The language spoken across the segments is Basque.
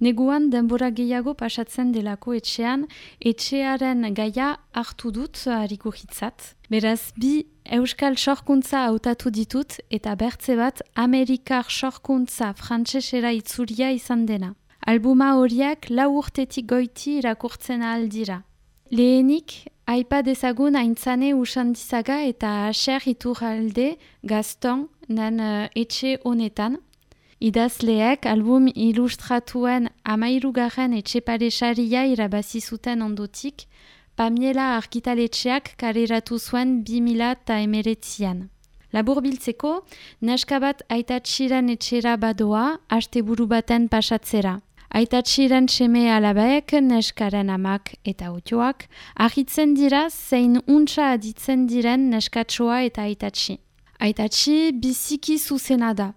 Neguan denbora gehiago pasatzen delako etxean, etxearen gaia hartu dut harikuhitzat. Beraz, bi euskal sorkuntza hautatu ditut eta bertze bat Amerikar sorkuntza frantsesera itzulia izan dena. Albuma horiek 4 urtetik goiti irakurtzen ahal dira. Lehenik, aipa dezagun aintzane Usandizaga eta Aser Iturralde Gaston nan etxe honetan. Idazleek album ilustratuen 13. etxepare saria irabazi zuten ondotik, Pamiela argitaletxeak kaleratu zuen 2019an. Labur biltzeko, neska bat aitatxiren etxera badoa, asteburu baten pasatzera. Aitatxiren seme alabaek, neskaren amak eta otioak, ahitzen dira zein untsa aditzen diren neskatsoa eta aitatxi. Aitatxi biziki zuzena da.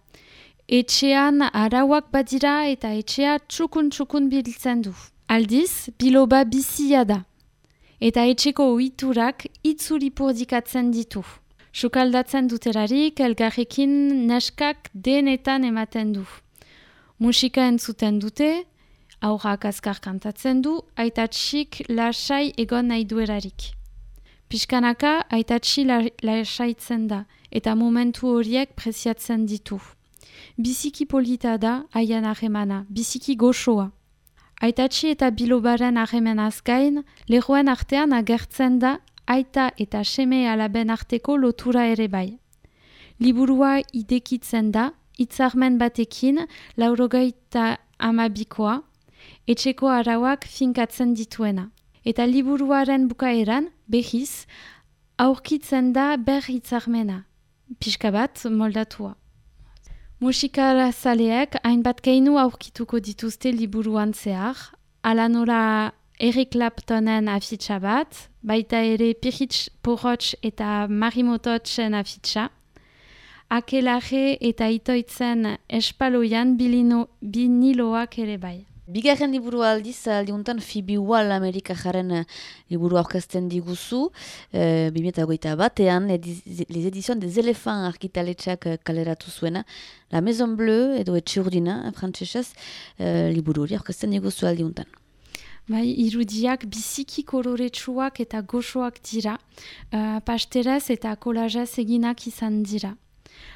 Etxean arauak badira eta etxea txukun biltzen du. Aldiz, biloba bizia da. Eta etxeko ohiturak itzuri purdikatzen ditu. Sukaldatzen duterarik, elgarrekin neskak denetan ematen du. Musika entzuten dute, aurrak azkar kantatzen du, aitatxik lasai egon nahi duerarik. Piskanaka aitatxi lasaitzen da, eta momentu horiek preziatzen ditu. Biziki polita da haien harremana, biziki goxoa. Aitatxi eta bilobaren harremenaz gain, lerroen artean agertzen da aita eta seme alaben arteko lotura ere bai. Liburua idekitzen da, hitzarmen batekin, 92koa, etxeko arauak finkatzen dituena. Eta liburuaren bukaeran, behiz, aurkitzen da ber hitzarmena, pixka bat moldatua. Musikazaleek hainbat keinu aurkituko dituzte liburuan zehar, ala nola Eric Claptonen afitxa bat, baita ere Pirits Porotx eta Marimototxen afitxa, Akelare eta Itoitzen espaloian biniloak ere bai. Bigarren liburu aldiz, aldiuntan Phoebe Wall Amerikajaren liburu aurkezten diguzu, 2021, les éditions des éléphants argitaletxeak kaleratu zuena, La Maison Bleue edo etxe urdina, frantsesez, liburu hori aurkezten diguzu aldiuntan. Bai, irudiak biziki koloretsuak eta goxoak dira, pasteraz eta kolajez eginak izan dira.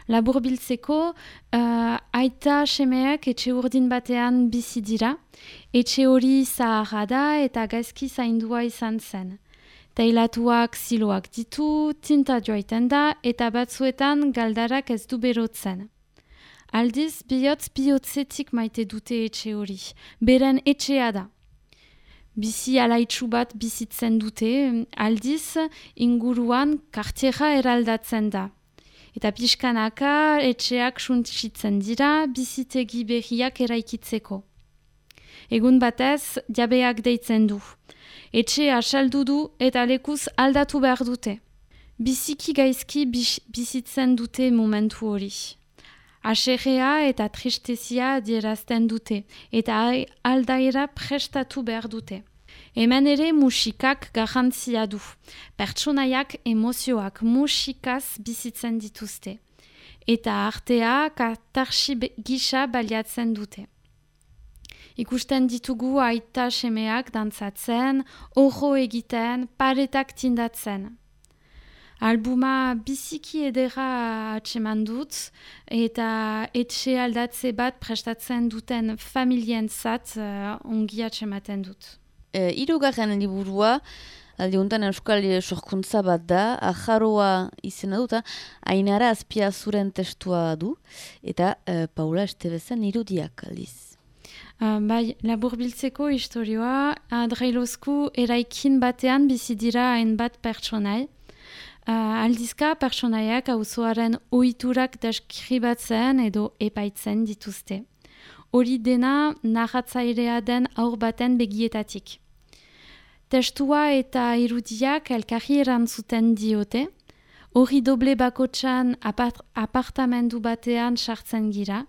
Labur biltzeko, aita semeak etxe urdin batean bizi dira, etxe hori zaharra da eta gaizki zaindua izan zen. Teilatuak ziloak ditu, tinta joaiten da eta batzuetan galdarak ez du berotzen. Aldiz, bihotzetik maite dute etxe hori, beren etxea da. Bizi alaitsu bat bizitzen dute, aldiz inguruan kartiera eraldatzen da. Eta pixkanaka etxeak suntsitzen dira bizitegi berriak eraikitzeko. Egun batez jabeak deitzen du. Etxea saldu du eta lekuz aldatu behar dute. Biziki gaizki bizitzen dute momentu hori. Aserrea eta tristezia adierazten dute eta aldaera prestatu behar dute. Hemen ere musikak garrantzia du. Pertsonaiak emozioak musikaz bizitzen dituzte. Eta artea katarsi gisa baliatzen dute. Ikusten ditugu aita semeak dantzatzen, orro egiten, paretak tindatzen. Albuma biziki edera atseman dut eta etxe aldatze bat prestatzen duten familientzat ongi atsematen dut. Hirugarren liburua, aldiuntan euskal sorkuntza bat da, Ajaroa izena duta, Ainara Azpiazuren testua du, eta Paula Estebezen irudiak aldiz. Bai, labur biltzeko historioa, Adreilozku eraikin batean bizi dira hainbat pertsonai. Aldizka pertsonaiak auzoaren ohiturak deskribatzen edo epaitzen dituzte. Hori dena narratzairea den aur baten begietatik. Testua eta irudiak elkarri erantzuten diote, hori doble bakotxan apartamendu batean sartzen gira,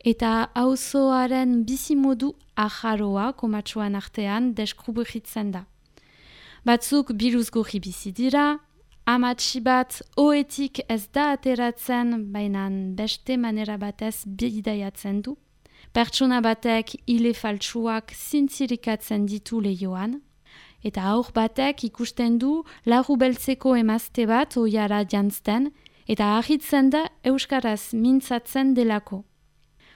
eta auzoaren bizimodu ajaroa komatsuan artean deskrubritzen da. Batzuk biruzgorri bizi dira, amatxi bat oetik ez da ateratzen, baina beste manera batez bidaiatzen du. Pertsona batek ile faltsuak zintzirikatzen ditu lehioan, eta haur batek ikusten du larru beltzeko emazte bat oiara jantzten, eta ahitzen da euskaraz mintzatzen delako.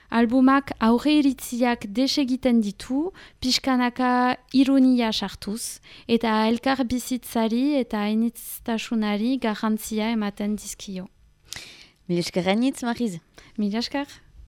Albumak aurre iritziak desegiten ditu, pixkanaka ironia sartuz, eta elkar bizitzari eta enitztasunari garrantzia ematen dizkio. Mil esker gainitz, Mariz. Mil esker.